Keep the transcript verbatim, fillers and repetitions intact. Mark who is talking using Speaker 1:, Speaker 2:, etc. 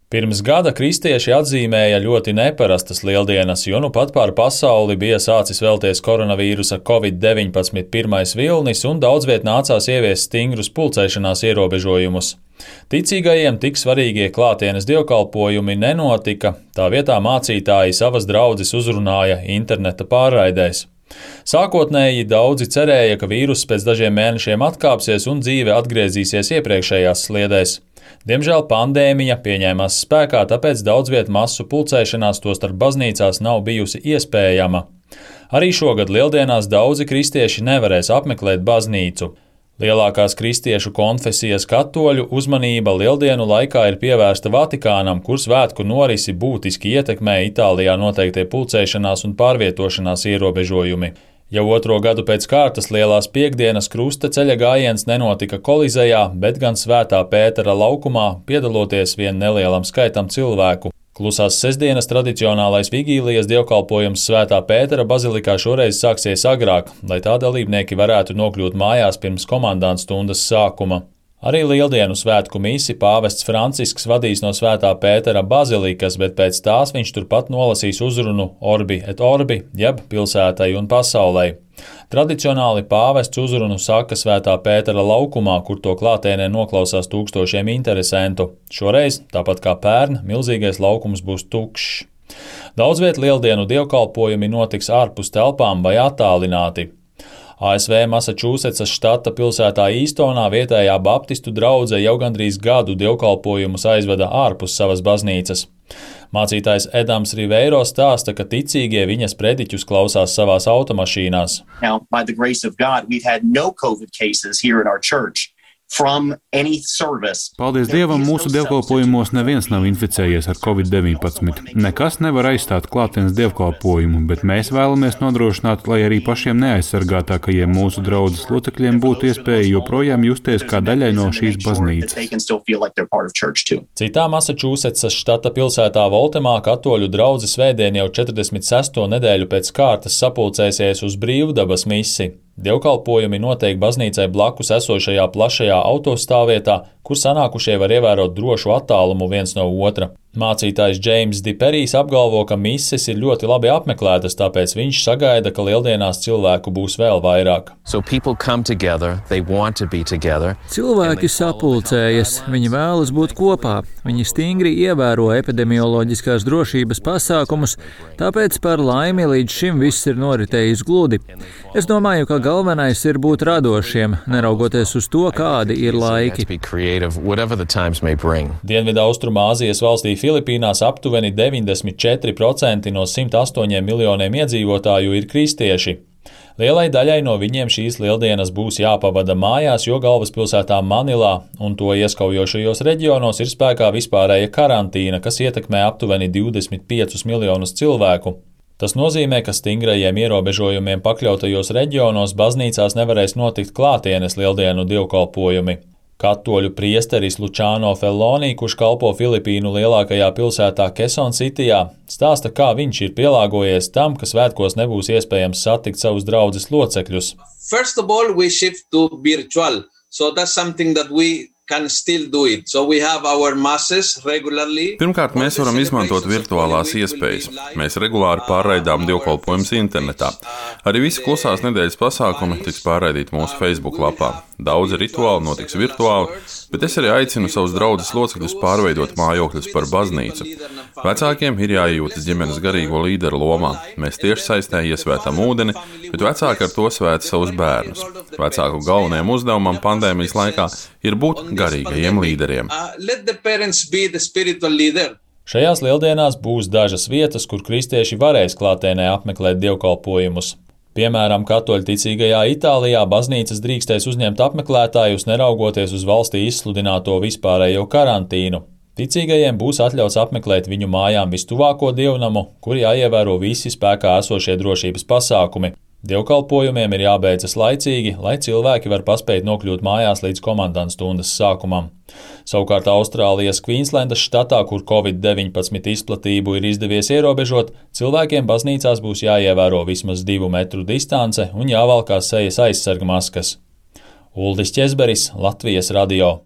Speaker 1: Pirms gada kristieši atzīmēja ļoti neparastas lieldienas, jo nu pat pār pasauli bija sācis vēlties koronavīrusa covid deviņpadsmit pirmais vilnis un daudz viet nācās ieviest stingrus pulcēšanās ierobežojumus. Ticīgajiem tik svarīgie klātienes dievkalpojumi nenotika, tā vietā mācītāji savas draudzes uzrunāja interneta pārraidēs. Sākotnēji daudzi cerēja, ka vīruss pēc dažiem mēnešiem atkāpsies un dzīve atgriezīsies iepriekšējās sliedēs. Diemžēl pandēmija pieņēmās spēkā, tāpēc daudz viet masu pulcēšanās tostarp baznīcās nav bijusi iespējama. Arī šogad lieldienās daudzi kristieši nevarēs apmeklēt baznīcu. Lielākās kristiešu konfesijas katoļu uzmanība lieldienu laikā ir pievērsta Vatikānam, kur svētku norisi būtiski ietekmē Itālijā noteiktie pulcēšanās un pārvietošanās ierobežojumi. Jau otro gadu pēc kārtas Lielās Piektdienas krusta ceļa gājiens nenotika Kolizejā, bet gan Svētā Pētera laukumā, piedaloties vien nelielam skaitam cilvēku. Klusās sestdienas tradicionālais vigīlijas dievkalpojums Svētā Pētera bazilikā šoreiz sāksies agrāk, lai tā dalībnieki varētu nokļūt mājās pirms komandantstundas sākuma. Arī lieldienu svētku misi pāvests Francisks vadīs no Svētā Pētera bazilikas, bet pēc tās viņš turpat nolasīs uzrunu Orbi et Orbi, jeb pilsētai un pasaulei. Tradicionāli pāvests uzrunu saka Svētā Pētera laukumā, kur to klātienē noklausās tūkstošiem interesentu. Šoreiz, tāpat kā pērn, milzīgais laukums būs tukšs. Daudz viet lieldienu dievkalpojumi notiks ārpus telpām vai attālināti. A S V Massachusettsas štata pilsētā Īstonā vietējā baptistu draudze jau gandrīz gadu dievkalpojumus aizveda ārpus savas baznīcas. Mācītājs Edams Riveiro stāsta, ka ticīgie viņas prediķus klausās savās automašīnās.
Speaker 2: Now, by the grace of God, we've had no COVID cases here in our church.
Speaker 3: Paldies Dievam, mūsu dievkalpojumos neviens nav inficējies ar covid deviņpadsmit. Nekas nevar aizstāt klātienes dievkalpojumu, bet mēs vēlamies nodrošināt, lai arī pašiem neaizsargātākajiem mūsu draudzes locekļiem būtu iespēja joprojām justies kā daļai no šīs baznīcas.
Speaker 1: Citā Massachusettsas štata pilsētā Voltemā katoļu draudze svētdien jau četrdesmit sesto nedēļu pēc kārtas sapulcēsies uz brīvdabas misi. Dievkalpojumi notiek baznīcai blakus esošajā plašajā autostāvvietā, kur sanākušie var ievērot drošu attālumu viens no otra. Mācītājs Džeims Diperijs apgalvo, ka mises ir ļoti labi apmeklētas, tāpēc viņš sagaida, ka lieldienās cilvēku būs vēl vairāk.
Speaker 4: So together, together,
Speaker 5: Cilvēki sapulcējas, viņi vēlas būt kopā, viņi stingri ievēro epidemioloģiskās drošības pasākumus, tāpēc par laimi līdz šim viss ir noritējis gludi. Es domāju, ka galvenais ir būt radošiem, neraugoties uz to, kādi ir laiki.
Speaker 1: Dienvidaustrumāzijas valstī Filipīnās aptuveni deviņdesmit četri procenti no simt astoņiem miljoniem iedzīvotāju ir kristieši. Lielai daļai no viņiem šīs lieldienas būs jāpavada mājās, jo galvaspilsētā Manilā un to ieskaujošajos reģionos ir spēkā vispārēja karantīna, kas ietekmē aptuveni divdesmit piecus miljonus cilvēku. Tas nozīmē, ka stingrajiem ierobežojumiem pakļautajos reģionos baznīcās nevarēs notikt klātienes lieldienu dievkalpojumi. Katoļu priesteris Lučāno Fellonī, kurš kalpo Filipīnu lielākajā pilsētā Kesoncitijā, stāsta, kā viņš ir pielāgojies tam, ka svētkos nebūs iespējams satikt savus draudzes locekļus.
Speaker 6: First of all, we shift to virtual, so that's something that we can still do it. So we have our masses regularly.
Speaker 7: Pirmkārt, mēs varam izmantot virtuālās iespējas. Mēs regulāri pārraidām dievkalpojumus internetā. Arī visi klusās nedēļas pasākumi tiks pārraidīti mūsu Facebook lapā. Daudzi rituāli notiks virtuāli, bet es arī aicinu savus draudzes locekļus pārveidot mājokļus par baznīcu. Vecākiem ir jāiejūtas ģimenes garīgo līderu lomā. Mēs tieši saistē iesvētam ūdeni, bet vecāki ar to svēta savus bērnus. Vecāku galvenajam uzdevumam pandēmijas laikā ir būt garīgajiem līderiem.
Speaker 1: Šajās lieldienās būs dažas vietas, kur kristieši varēs klātienē apmeklēt dievkalpojumus. Piemēram, katoļticīgajā Itālijā baznīcas drīkstēs uzņemt apmeklētājus, neraugoties uz valstī izsludināto vispārējo karantīnu. Ticīgajiem būs atļauts apmeklēt viņu mājām vistuvāko dievnamu, kur jāievēro visi spēkā esošie drošības pasākumi. Dievkalpojumiem ir jābeidzas laicīgi, lai cilvēki var paspēt nokļūt mājās līdz komandantstundas sākumam. Savukārt Austrālijas Kvīnslendas štatā, kur covid deviņpadsmit izplatību ir izdevies ierobežot, cilvēkiem baznīcās būs jāievēro vismaz divu metru distance un jāvalkā sejas aizsargmaskas. Uldis Ķezberis, Latvijas radio.